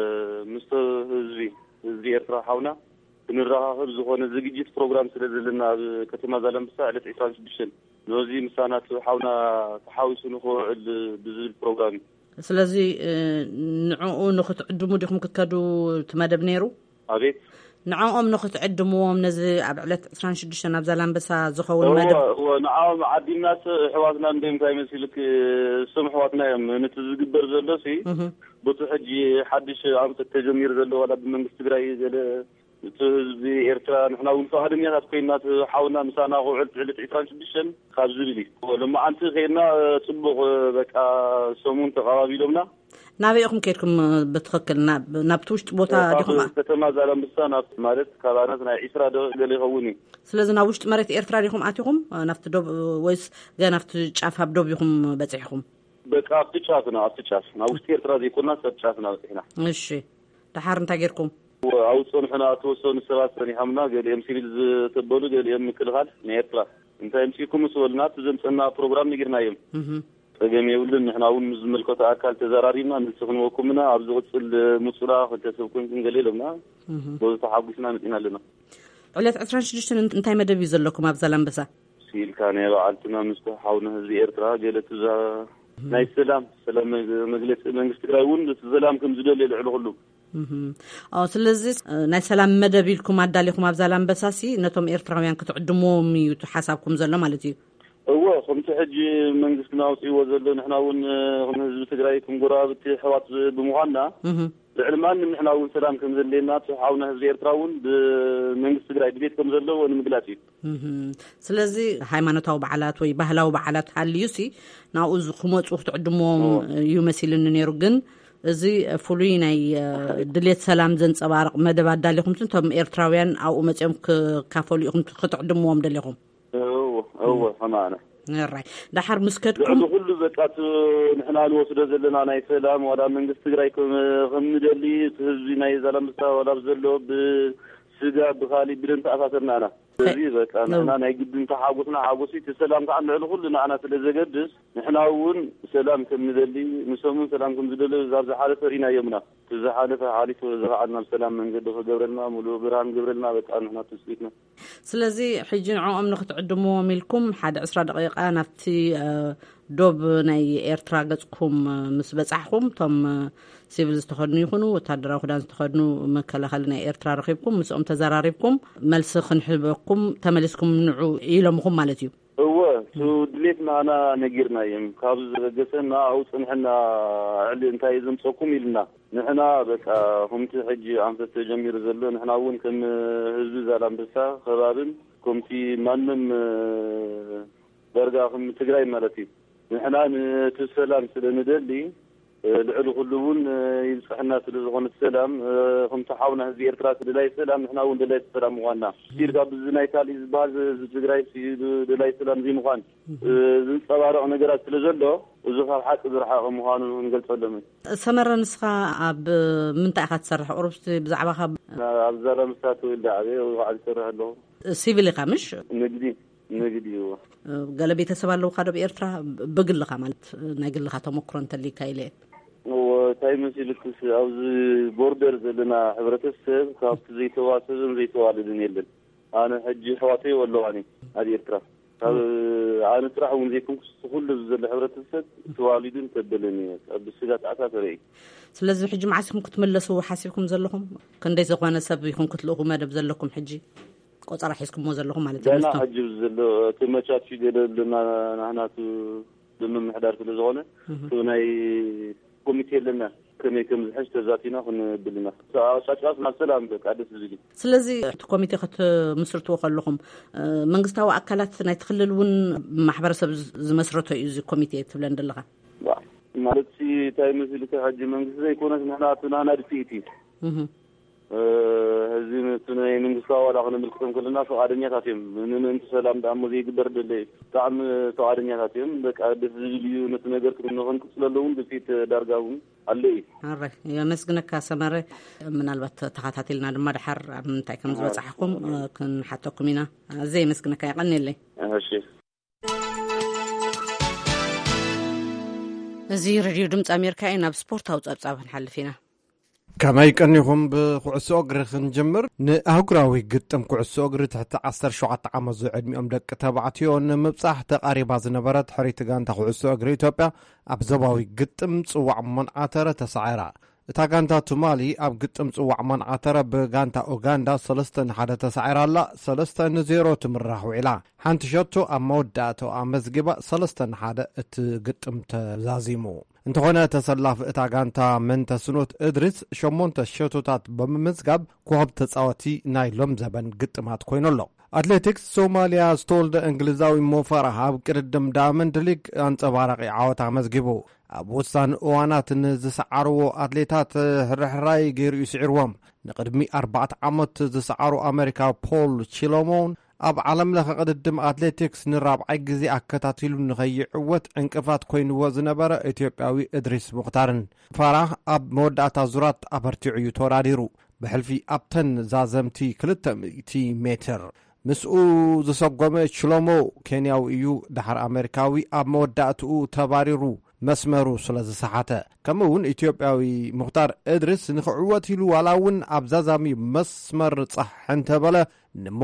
ምስቲ ህዝቢ፣ ህዝቢ ኤርትራ ሓውና ክንረኻኸብ ዝኾነ ዝግጅት ፕሮግራም ስለ ዘለና ኣብ ከተማ ዛላምበሳ ዕለት ዒስራን ሽዱሽተን ነዚ ምሳና እቲ ሓውና ተሓዊሱ ንኽውዕል ብዝብል ፕሮግራም እዩ። ስለዚ፣ እ፣ ንዕኡ ንኽትዕድሙ ዲኹም ክትከዱ እቲ መደብ ነይሩ? ኣቤት። ንዕኦም ንኽትዕድምዎም ነዚ ኣብ ዕለት ዕስራን ሽዱሽተን ኣብ ዛላምበሳ ዝኸውን እወ፣ መደብ? እወ፣ ንዓኦም ዓዲምናስ ኣሕዋትና እንድዮም እንታይ መሲልክ፣ እሶም ኣሕዋትና እዮም። ነቲ ዝግበር ዘሎሲ፣ እህ። በቲ ሕጂ ሓድሽ ኣንፈት ተጀሚሩ ዘሎ ዋላ ብመንግስቲ ትግራይ ገለ እቲ ህዝቢ ኤርትራ ንሕና እውን ፈቓደኛታት ኮይና እቲ ሓውና ምሳና ክውዕል ዕለት ዒስራን ሽዱሽተን ካብ ዝብል እዩ። ሎማዓንቲ ከይድና ጽቡቕ በቃ ሰሙን ተቐባቢሎምና። ናበይ ኢኹም ከይድኩም ብትኽክል? ናብ፣ ናብቲ ውሽጢ ቦታ ካብ ዲኹም? ከተማ ዛላምበሳ ናብ ማለት ካብ ኣናት ናይ ዒስራ ደቂቕ ገለ ይኸውን እዩ። ስለዚ ናብ ውሽጢ መሬት ኤርትራ ዲኹም ኣቲኹም? ናብቲ ዶብ ወይስ ገና ኣብቲ ጫፍ ኣብ ዶብ ኢኹም በጺሕኩም? በቃ ኣብቲ ጫፍና፣ ኣብቲ ጫፍ። ናብ ውሽጢ ኤርትራ ዘይኮንና ሰብ ጫፍና በጺሕና። እሺ። ደሓር እንታይ ጌርኩም? ኣብኡ ጸኒሑና፣ እተወሰኑ ሰባት ጸኒሖምና፣ ገሊኦም ሲቪል ዝተበሉ፣ ገሊኦም ምክልኻል ናይ ኤርትራ። እንታይ ኣምጺእኩም ምስ በሉና፣ እቲ ዘምጸና ፕሮግራም ነጊርናዮም። እህ። ጸገም የብሉን፣ ንሕና እውን ምስ ዝምልከቶ ኣካል ተዘራሪብና፣ መልሲ ክንበኩም ኢና፣ ኣብ ዝቕጽል ምጹና፣ ክልተ ሰብ ኮንኩም ገለ ኢሎምና፣ እህ። በዚ ተሓጒስና መጺና ኣለና። ዕለት ዕስራን ሽዱሽተን እንታይ መደብ እዩ ዘለኩም ኣብ ዛላምበሳ? ስኢልካ ናይ በዓልትና ምስ ሓውና ህዝቢ ኤርትራ፣ ገለ ትዛ ናይ ሰላም፣ ሰላም መግ-፣ መግለጺ መንግስቲ ትግራይ እውን እቲ ሰላም ከም ዝደሊ ልዕሊ ኩሉ። እህ። ኦ፣ ስለዚ፣ እ፣ ናይ ሰላም መደብ ኢልኩም ኣዳሊኹም ኣብ ዛላምበሳ ሲ ነቶም ኤርትራውያን ክትዕድምዎም እዩ እቲ ሓሳብኩም ዘሎ ማለት እዩ? እወ፣ ከምቲ ሕጂ መንግስትና ኣውጺእዎ ዘሎ፣ ንሕና እውን፣ እ፣ ከም ህዝቢ ትግራይ፣ ከም ጎረባብቲ ኣሕዋት ብምዃንና፣ እህ። ልዕሊ ማንም ንሕና እውን ሰላም ከም ዘድልየና፣ እቲ ሓውና ህዝቢ ኤርትራ እውን ብመንግስቲ ትግራይ ድሌት ከም ዘለዎ ንምግላጽ እዩ። እህ። ስለዚ ሃይማኖታዊ በዓላት ወይ ባህላዊ በዓላት ሃልዩሲ ናብኡ ዝ-፣ ክመጹ ክትዕድምዎም እዎ። እዩ መሲልኒ ነይሩ። ግን እዚ ፍሉይ ናይ፣ እ፣ ድሌት ሰላም ዘንጸባርቕ መደብ ኣዳሊኹም፣ እቶም ኤርትራውያን ኣብኡ መጺኦም ክካፈሉ ኢኹም ክትዕድምዎም ደሊኹም? እዎ፣ እዎ፣ ከማና። ራይ። ደሓር ምስ ከድኩም ልዕሊ ኩሉ በቃ እቲ ንሕና ንወስዶ ዘለና ናይ ሰላም ዋላ መንግስቲ ትግራይ ከም፣ ከም ንደሊ እቲ ህዝቢ ናይ ዛላምበሳ ዋላ ኣብ ዘሎ ብስጋ ብኻሊእ ብደም ተኣሳሰርና ኢና። ስለዚ በቃ እ- ንሕና ናይ ግድን ተሓጎስና ሓጎሲ እቲ ሰላም ከዓ ልዕሊ ኩሉ ንዓና ስለ ዘገድስ ንሕና እውን ሰላም ከም ንደሊ ንሶም እውን ሰላም ከም ዝደሊ እዛ ዝሓለፈ ርኢናዮምና። እቲ ዝሓለፈ ሓሊፉ እዚ ከዓ ናብ ሰላም መንገዲ ክገብረልና ሙሉእ ብርሃን ገብረልና በቃ ንሕና ትፅቢትና። ስለዚ ሕጂ ንዕኦም ንክትዕድምዎም ኢልኩም ሓደ ዕስራ ደቂቃ ናብቲ፣ እ፣ ዶብ ናይ ኤርትራ ገጽኩም፣ እ፣ ምስ በጻሕኩም፣ እቶም፣ እ፣ ሲቪል ዝተኸድኑ ይኹኑ ወታደራዊ ክዳን ዝተኸድኑ መከላኸሊ ናይ ኤርትራ ረኺብኩም፣ ምስኦም ተዘራሪብኩም፣ መልሲ ክንህበኩም ተመሊስኩም ንዑ ኢሎምኹም ማለት እዩ። እወ፣ እቱ ድሌት ንኣና ነጊርናዮም። ካብ ዝበገሰና ኣብኡ ጽንሕና ዕሊ እንታይ ዘምጸኩም ኢልና። ንሕና በቃ ከምቲ ሕጂ ኣንፈት ተጀሚሩ ዘሎ፣ ንሕና እውን ከም ህዝቢ ዛላምበሳ ከባብን ከምቲ ማንም፣ እ፣ ዳርጋ ከም ትግራይ ማለት እዩ። ንሕና ነቲ ሰላም ስለ ንደሊ፣ እ፣ ልዕሊ ኩሉ እውን፣ እ፣ ይብጽሕና ስለ ዝኾነ ሰላም፣ እ፣ ከምቲ ሓውና ህዝቢ ኤርትራ ደላይ ሰላም፣ ንሕና እውን ደላይ ሰላም ምዃንና። ሲል ካብ እዚ ናይ ካልእ ዝበሃል፣ እዚ ትግራይ ሲ-፣ ደላይ ሰላም ዘይምዃን፣ እ፣ ዝንጸባረቕ ነገራት ስለ ዘሎ፣ እዚ ካብ ሓቂ ዝረሓቐ ምዃኑ ንገልጸሎም። ሰመረ፣ ንስኻ ኣብ ምንታይ ኢኻ ትሰርሕ? ቁሩብ እስቲ ብዛዕባኻ። ኣብ ዛላምበሳ ተወልደ ዓብየ፣ ኣብ በዓል ይሰርሕ ኣለኹ። ሲቪል ኢኻ ምሽ? ንግዲ፣ ንግዲ እዩ። ገለ ቤተሰብ ኣለውኻ ዶ ኣብ ኤርትራ? ብግልኻ ማለት ናይ ግልኻ ተመክሮ እንተሊካ ኢለ እየ። እዎ፣ እንታይ መሲልክስ፣ ኣብዚ ቦርደር ዘለና ሕብረተሰብ ካብቲ ዘይተዋሰብን ዘይተዋለደን የለን። ኣነ ሕጂ ኣሕዋተይ ኣለዋኒ ኣብ ኤርትራ። ኣብ ኣነ ጥራሕ እውን ዘይኮንኩስ፣ ኩሉ ዘሎ ሕብረተሰብ ተዋሊዱን ተበለን እዩ። ኣብ ስጋት ኣታ ተርኢ። ስለዚ ሕጂ መዓስ ኢኹም ክትምለሱ ሓሲብኩም ዘለኹም? ክንደይ ዝኾነ ሰብ ኢኹም ክትልእኹ መደብ ዘለኩም ሕጂ? ቆጸራ ሒዝኩሞ ዘለኹም ማለት እዩ። ገና ምስቶም ሕጂ ዘሎ እቲ መቻች ገለ ኣለና፣ ናህናቱ ብምምሕዳር ስለ ዝኾነ፣ እህ። እቲ ናይ ኮሚቴ ኣለና። ከመይ ከም ዝሕሽ ተዛቲና ክንብል ኢና። ጫጭዋስ ናብ ሰላም በቃ ደስ ዝብል እዩ። ስለዚ እቲ ኮሚቴ ክትምስርትዎ ከለኹም፣ እ፣ መንግስታዊ ኣካላት ናይቲ ክልል እውን ማሕበረሰብ ዝ-፣ ዝመስረቶ እዩ እዚ ኮሚቴ ትብለን ዘለኻ? ዋ፣ ማለት ሲ እንታይ መሲሉ፣ እቲ ሕጂ መንግስቲ ዘይኮነስ ንሕና እቲ ናና ድፍኢት እዩ። እህ። እ፣ ህዝቢ ነቲ ናይ መንግስቲ ኣባላ ክነመልክቶም ከለና ፍቓደኛታት እዮም። ንምእንቲ ሰላም ደኣ እሞ ዘይግበር ደለ እዩ። ብጣዕሚ ፍቓደኛታት እዮም። በቃ ደስ ዝብል እዩ። ነቲ ነገር ክንክንቅጽለሉ እውን ድፍኢት ዳርጋ እውን ኣሎ እዩ። ኣረ፣ የመስግነካ ሰመረ። ምናልባት ተኸታቲልና ድማ ድሓር ኣብ ምንታይ ከም ዝበጻሕኩም፣ እ፣ ክንሓተኩም ኢና። ኣዝየ የመስግነካ፣ የቐንየለይ። እሺ። እዚ ሬድዮ ድምፂ ኣሜሪካ እዩ። ናብ ስፖርታዊ ጸብጻብ ክንሓልፍ ኢና። ከመይ ቀኒኹም? ብኩዕሶ እግሪ ክንጅምር። ንኣህጉራዊ ግጥም ኩዕሶ እግሪ ትሕቲ ዓሰርተ ሸውዓተ ዓመት ዝዕድሚኦም ደቂ ተባዕትዮ ንምብጻሕ ተቓሪባ ዝነበረት ሕርይቲ ጋንታ ኩዕሶ እግሪ ኢትዮጵያ ኣብ ዞባዊ ግጥም ጽዋዕ መንዓተረ ተሳዒራ። እታ ጋንታ ትማሊ ኣብ ግጥም ጽዋዕ መንዓተረ ብጋንታ ኡጋንዳ ሰለስተ ንሓደ ተሳዒራ ኣላ። ሰለስተ ንዜሮ ትምራሕ ውዒላ። ሓንቲ ሸቶ ኣብ መወዳእታኡ ኣመዝጊባ ሰለስተ ንሓደ እቲ ግጥም ተዛዚሙ። እንተኾነ ተሰላፊ እታ ጋንታ መንተስኖት እድሪስ ሸሞንተ ሸቶታት ብምምዝጋብ ኮኸብ ተጻወቲ ናይ ሎም ዘበን ግጥማት ኮይኑ ኣሎ። ኣትሌቲክስ ሶማልያ ዝተወልደ እንግሊዛዊ ሞፈራህ ኣብ ቅድድም ዳያመንድ ሊግ ኣንጸባራቒ ዓወት ኣመዝጊቡ። ኣብ ወሳኒ እዋናት ንዝሰዓርዎ ኣትሌታት ሕርሕራይ ገይሩ እዩ ስዒርዎም። ንቕድሚ ኣርባዕተ ዓመት ዝሰዓሩ ኣሜሪካ ፖል ቺሎሞን ኣብ ዓለም ለኸ ቅድድም ኣትሌቲክስ ንራብዓይ ግዜ ኣከታቲሉ ንኸይዕወት ዕንቅፋት ኮይንዎ ዝነበረ ኢትዮጵያዊ እድሪስ ሙኽታርን ፋራህ ኣብ መወዳእታ ዙራት ኣበርቲዑ እዩ ተወዳዲሩ። ብሕልፊ ኣብተን ዛዘምቲ ክልተ ሚእቲ ሜትር ምስኡ ዝሰጎመ ችሎሞ ኬንያዊ እዩ። ድሓር ኣሜሪካዊ ኣብ መወዳእትኡ ተባሪሩ መስመሩ ስለ ዝሰሓተ። ከምኡ እውን ኢትዮጵያዊ ሙኽታር እድሪስ ንኽዕወት ኢሉ ዋላ እውን ኣብ ዛዛሚ መስመር ጻሕ እንተበለ ንሞ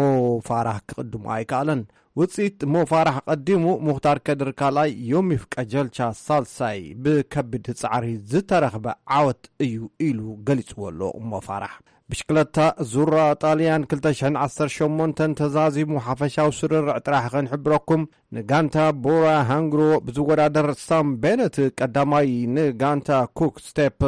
ፋራህ ክቕድሞ ኣይከኣለን። ውጽኢት ሞ ፋራህ ቀዲሙ፣ ሙኽታር ከድር ካልኣይ፣ ዮሚፍ ቀጀልቻ ሳልሳይ ብከቢድ ጻዕሪ ዝተረኽበ ዓወት እዩ ኢሉ ገሊጽዎ ኣሎ። ሞ ፋራህ ብሽክለታ ዙራ ጣልያን ክልተ ሽሕን ዓሰርተ ሸሞንተን ተዛዚሙ ሓፈሻዊ ስርርዕ ጥራሕ ክንሕብረኩም። ንጋንታ ቦራ ሃንግሮ ብዝወዳደር ሳም ቤነት ቀዳማይ፣ ንጋንታ ኩክ ስቴፕ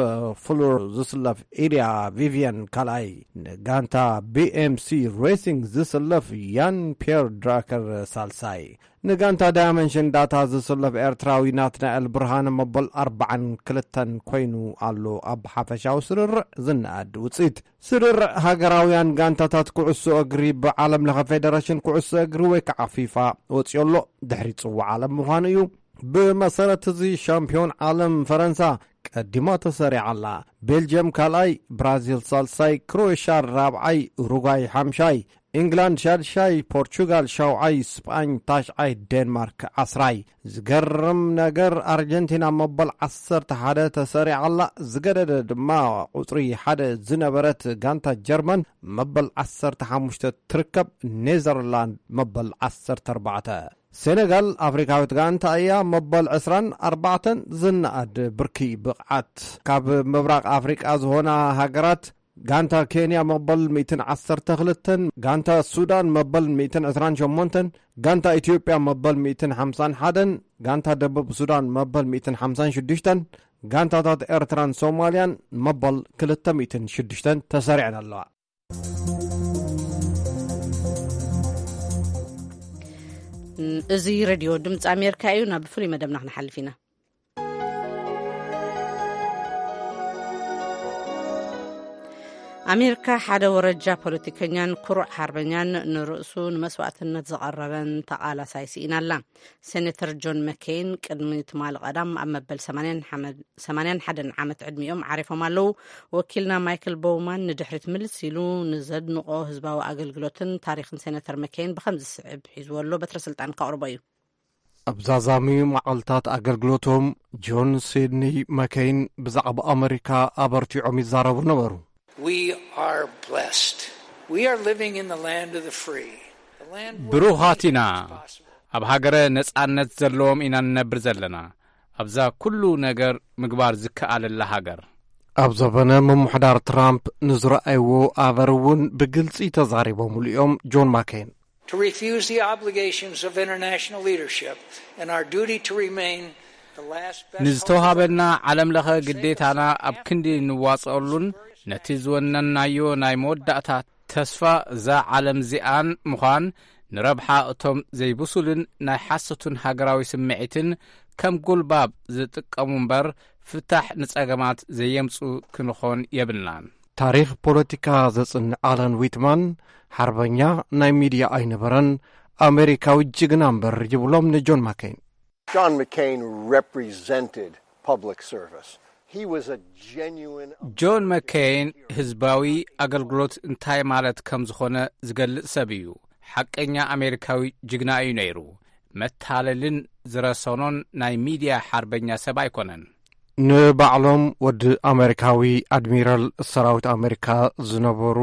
ፍሉር ዝስለፍ ኢድያ ቪቪየን ካልኣይ፣ ንጋንታ ቢ ኤም ሲ ሬሲንግ ዝስለፍ ያን ፒየር ድራከር ሳልሳይ፣ ንጋንታ ዳያመንሽን ዳታ ዝስለፍ ኤርትራዊ ናትናኤል ብርሃነ መበል ኣርባዓን ክልተን ኮይኑ ኣሎ። ኣብ ሓፈሻዊ ስርርዕ ዝነኣድ ውጽኢት ስርርዕ ሃገራውያን ጋንታታት ኩዕሶ እግሪ ብዓለም ለኸ ፌደሬሽን ኩዕሶ እግሪ ወይ ከዓ ፊፋ ወፂኡ ኣሎ። ድሕሪ ፅዋዕ ዓለም ምዃኑ እዩ። ብመሰረት እዚ ሻምፒዮን ዓለም ፈረንሳ ቀዲማ ተሰሪዓ ኣላ። ቤልጅየም ካልኣይ፣ ብራዚል ሳልሳይ፣ ክሮኤሽያ ራብዓይ፣ ኡሩጓይ ሓምሻይ፣ ኢንግላንድ ሻድሻይ፣ ፖርቹጋል ሻውዓይ፣ ስጳኝ ታሽዓይ፣ ዴንማርክ ዓስራይ። ዝገርም ነገር ኣርጀንቲና መበል ዓሰርተ ሓደ ተሰሪዓ ኣላ። ዝገደደ ድማ ቁጽሪ ሓደ ዝነበረት ጋንታ ጀርመን መበል ዓሰርተ ሓሙሽተ ትርከብ። ኔዘርላንድ መበል ዓሰርተ ኣርባዕተ። ሴኔጋል ኣፍሪካዊት ጋንታ እያ። መበል ዕስራን ኣርባዕተን ዝነኣድ ብርኪ ብቕዓት ካብ ምብራቕ ኣፍሪቃ ዝኾና ሃገራት ጋንታ ኬንያ መበል ሚእትን ዓሰርተ ክልተን፣ ጋንታ ሱዳን መበል ሚእትን ዕስራን ሸሞንተን፣ ጋንታ ኢትዮጵያ መበል ሚእትን ሓምሳን ሓደን፣ ጋንታ ደቡብ ሱዳን መበል ሚእትን ሓምሳን ሽዱሽተን፣ ጋንታታት ኤርትራን ሶማልያን መበል ክልተ ሚእትን ሽዱሽተን ተሰሪዐን ኣለዋ። እዚ ሬድዮ ድምፂ ኣሜሪካ እዩ። ናብ ፍሉይ መደብና ክንሓልፍ ኢና። ኣሜሪካ ሓደ ወረጃ ፖለቲከኛን ኩሩዕ ሓርበኛን፣ ንርእሱ ንመስዋእትነት ዘቐረበን ተቓላሳይ ስኢና ኣላ። ሴኔተር ጆን መኬይን ቅድሚ ትማሊ ቀዳም ኣብ መበል ሰማንያን ሓመ-፣ ሰማንያን ሓደን ዓመት ዕድሚኦም ዓሪፎም ኣለዉ። ወኪልና ማይክል ቦውማን ንድሕሪት ምልስ ኢሉ ንዘድንቖ ህዝባዊ ኣገልግሎትን ታሪኽን ሴኔተር መኬይን ብኸምዚ ዝስዕብ ሒዝዎ ኣሎ። በትረ ስልጣን ከቕርቦ እዩ። ኣብ ዛዛሚ መዓልታት ኣገልግሎቶም፣ ጆን ሲድኒ መኬይን ብዛዕባ ኣመሪካ ኣበርቲዖም ይዛረቡ ነበሩ። We are blessed. We are living in the land of the free. The land where ብሩኻት ኢና። Anything is possible. ኣብ ሃገረ ነጻነት ዘለዎም ኢና ንነብር ዘለና። ኣብዛ ኩሉ ነገር ምግባር ዝከኣለላ ሃገር። ኣብ ዘበነ ምምሕዳር ትራምፕ ንዝረኣይዎ ኣበር እውን ብግልጺ ተዛሪቦምሉ እዮም። ጆን ማኬን to refuse the obligations of international leadership and our duty to remain the last best hope for ንዝተውሃበና ዓለም ለኸ ግዴታና ኣብ ክንዲ ንዋጽኣሉን ነቲ ዝወነናዮ ናይ መወዳእታ ተስፋ እዛ ዓለም እዚኣን ምዃን ንረብሓ እቶም ዘይብሱልን ናይ ሓሶትን ሃገራዊ ስምዒትን ከም ጉልባብ ዝጥቀሙ እምበር ፍታሕ ንጸገማት ዘየምጹ ክንኾን የብልናን። ታሪኽ ፖለቲካ ዘጽንዕ ኣለን ዊትማን ሓርበኛ ናይ ሚድያ ኣይነበረን፣ ኣሜሪካዊ ጅግና እምበር ይብሎም ንጆን ማኬን። John McCain represented public service. He was a genuine ጆን መኬይን ህዝባዊ ኣገልግሎት እንታይ ማለት ከም ዝኾነ ዝገልጽ ሰብ እዩ። ሓቀኛ ኣሜሪካዊ ጅግና እዩ ነይሩ። መታለልን ዝረሰኖን ናይ ሚድያ ሓርበኛ ሰብ ኣይኮነን። ንባዕሎም ወዲ ኣሜሪካዊ ኣድሚራል ሰራዊት ኣሜሪካ ዝነበሩ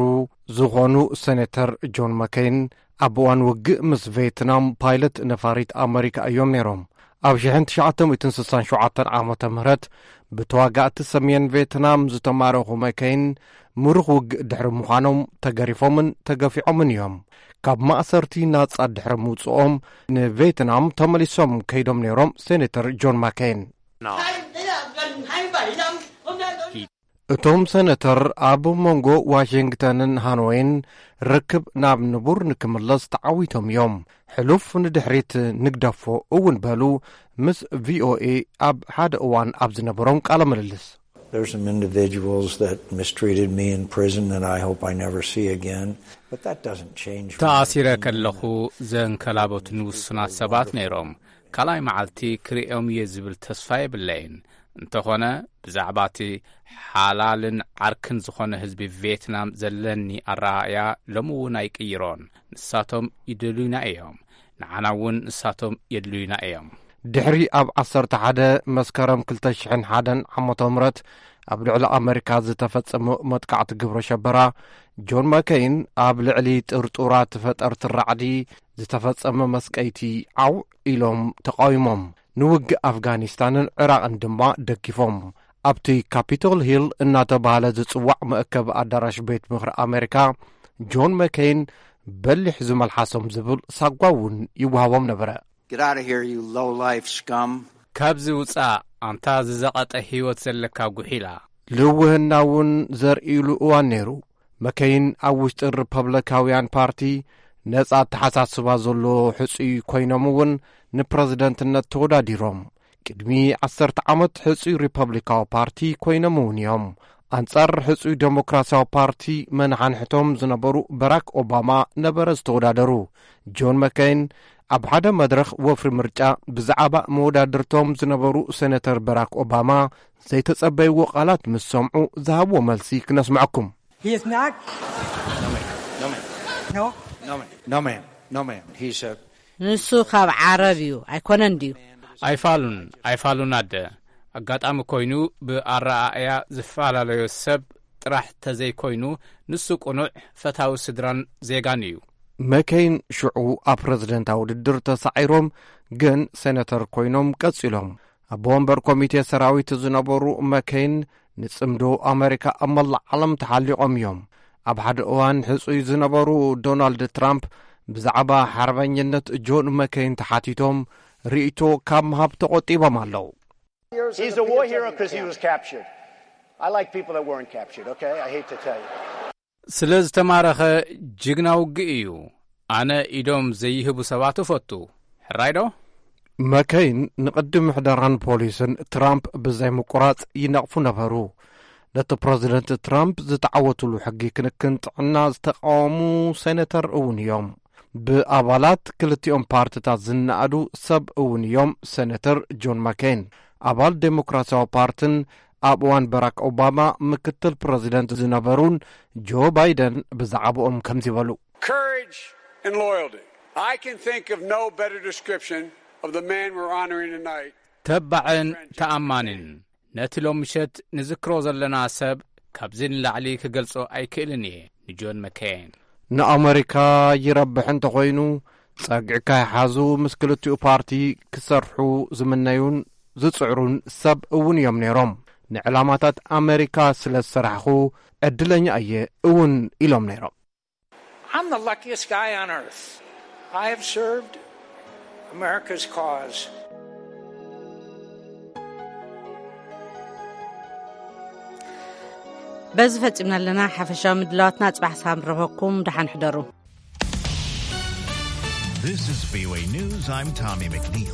ዝኾኑ ሴኔተር ጆን መኬይን ኣብ እዋን ውግእ ምስ ቬትናም ፓይለት ነፋሪት ኣመሪካ እዮም ነይሮም። ኣብ ሽሕን ትሽዓተ ሚእትን ስሳን ሸውዓተን ዓመተ ምህረት ብተዋጋእቲ ሰሜን ቬትናም ዝተማረኹ መኬይን ምሩኽ ውግእ ድሕሪ ምዃኖም ተገሪፎምን ተገፊዖምን እዮም። ካብ ማእሰርቲ ናጻ ድሕሪ ምውጽኦም ንቬትናም ተመሊሶም ከይዶም ነይሮም። ሴኔተር ጆን ማኬይን እቶም ሰነተር ኣብ መንጎ ዋሽንግተንን ሃኖይን ርክብ ናብ ንቡር ንክምለስ ተዓዊቶም እዮም። ሕሉፍ ንድሕሪት ንግደፎ እውን በሉ ምስ ቪኦኤ ኣብ ሓደ እዋን ኣብ ዝነበሮም ቃለ ምልልስ። There's some individuals that mistreated me in prison that I hope I never see again, but that doesn't change. ተኣሲረ ከለኹ ዘንከላበቱን ውሱናት ሰባት ነይሮም። ካልኣይ መዓልቲ ክርእዮም እየ ዝብል ተስፋ የብለይን። እንተኾነ ብዛዕባ እቲ ሓላልን ዓርክን ዝኾነ ህዝቢ ቬትናም ዘለኒ ኣረኣእያ ሎሚ እውን ኣይቅይሮን። ንሳቶም ይደልዩና እዮም፣ ንዓና እውን ንሳቶም የድልዩና እዮም። ድሕሪ ኣብ ዓሰርተ ሓደ መስከረም ክልተ ሽሕን ሓደን ዓመተ ምህረት ኣብ ልዕሊ ኣመሪካ ዝተፈጸመ መጥቃዕቲ ግብረ ሸበራ፣ ጆን ማከይን ኣብ ልዕሊ ጥርጡራት ፈጠርቲ ራዕዲ ዝተፈጸመ መስቀይቲ ዓው ኢሎም ተቓዊሞም። ንውግእ ኣፍጋኒስታንን ዕራቕን ድማ ደጊፎም። ኣብቲ ካፒቶል ሂል እናተባህለ ዝጽዋዕ መእከቢ ኣዳራሽ ቤት ምኽሪ ኣሜሪካ፣ ጆን መከይን በሊሕ ዝመልሓሶም ዝብል ሳጓ እውን ይወሃቦም ነበረ። Get out of here, you low-life scum. ካብዚ ውጻእ ኣንታ ዝዘቐጠ ህይወት ዘለካ ጉሒላ። ልውህና እውን ዘርእይሉ እዋን ነይሩ። መከይን ኣብ ውሽጢ ሪፐብሊካውያን ፓርቲ ነጻ ኣተሓሳስባ ዘለዎ ሕጹይ ኮይኖም እውን ንፕረዚደንትነት ተወዳዲሮም። ቅድሚ ዓሰርተ ዓመት ሕጹይ ሪፐብሊካዊ ፓርቲ ኮይኖም እውን እዮም። ኣንጻር ሕጹይ ዴሞክራሲያዊ ፓርቲ መናሓንሕቶም ዝነበሩ በራክ ኦባማ ነበረ ዝተወዳደሩ። ጆን መከይን ኣብ ሓደ መድረኽ ወፍሪ ምርጫ ብዛዕባ መወዳድርቶም ዝነበሩ ሴነተር በራክ ኦባማ ዘይተጸበይዎ ቃላት ምስ ሰምዑ ዝሃብዎ መልሲ ክነስምዐኩም። He is not. No, ma'am. No, ma'am. No. No, ma'am. No, ma'am. No, ma'am. He's a ንሱ ካብ ዓረብ እዩ ኣይኮነን ድዩ? ኣይፋሉን ኣይፋሉን ኣደ። ኣጋጣሚ ኮይኑ ብኣረኣእያ ዝፈላለዮ ሰብ ጥራሕ ተዘይኮይኑ፣ ንሱ ቅኑዕ ፈታዊ ስድራን ዜጋን እዩ። መከይን ሽዑ ኣብ ፕረዚደንታዊ ውድድር ተሳዒሮም፣ ግን ሴነተር ኮይኖም ቀጺሎም። ኣቦ ወንበር ኮሚቴ ሰራዊት ዝነበሩ መከይን ንጽምዶ ኣመሪካ ኣብ መላእ ዓለም ተሓሊቖም እዮም። ኣብ ሓደ እዋን ሕጹይ ዝነበሩ ዶናልድ ትራምፕ ብዛዕባ ሓርበኝነት ጆን መከይን ተሓቲቶም ርእይቶ ካብ ምሃብ ተቖጢቦም ኣለዉ። He's a war hero because he was captured. I like people that weren't captured, okay? I hate to tell you. ስለ ዝተማረኸ ጅግና ውግእ እዩ። ኣነ ኢዶም ዘይህቡ ሰባት እፈቱ። ሕራይ ዶ? መከይን ንቅዲ ምሕደራን ፖሊስን ትራምፕ ብዘይ ምቁራጽ ይነቕፉ ነበሩ። ነቲ ፕረዚደንት ትራምፕ ዝተዓወትሉ ሕጊ ክንክን ጥዕና ዝተቃወሙ ሴነተር እውን እዮም። ብኣባላት ክልቲኦም ፓርትታት ዝነኣዱ ሰብ እውን እዮም። ሴነተር ጆን ማኬን ኣባል ዴሞክራሲያዊ ፓርትን ኣብ እዋን በራክ ኦባማ ምክትል ፕረዚደንት ዝነበሩን ጆ ባይደን ብዛዕባኦም ከምዚ በሉ። Courage and loyalty. I can think of no better description of the man we're honoring tonight. ተባዕን ተኣማንን ነቲ ሎም ምሸት ንዝክሮ ዘለና ሰብ ካብዚ ንላዕሊ ክገልጾ ኣይክእልን እየ። ንጆን መከይን ንኣመሪካ ይረብሕ እንተኾይኑ ጸግዒ ካይሓዙ ምስ ክልቲኡ ፓርቲ ክሰርሑ ዝምነዩን ዝጽዕሩን ሰብ እውን እዮም ነይሮም። ንዕላማታት ኣመሪካ ስለ ዝሰራሕኹ ዕድለኛ እየ እውን ኢሎም ነይሮም። I'm the luckiest guy on earth. I have served America's cause. በዚ ፈጺምና ኣለና ሓፈሻዊ ምድላዋትና። ጽባሕ ሳም ረኸኩም፣ ደሓን ሕደሩ። This is V O A News. I'm Tommy McNeil.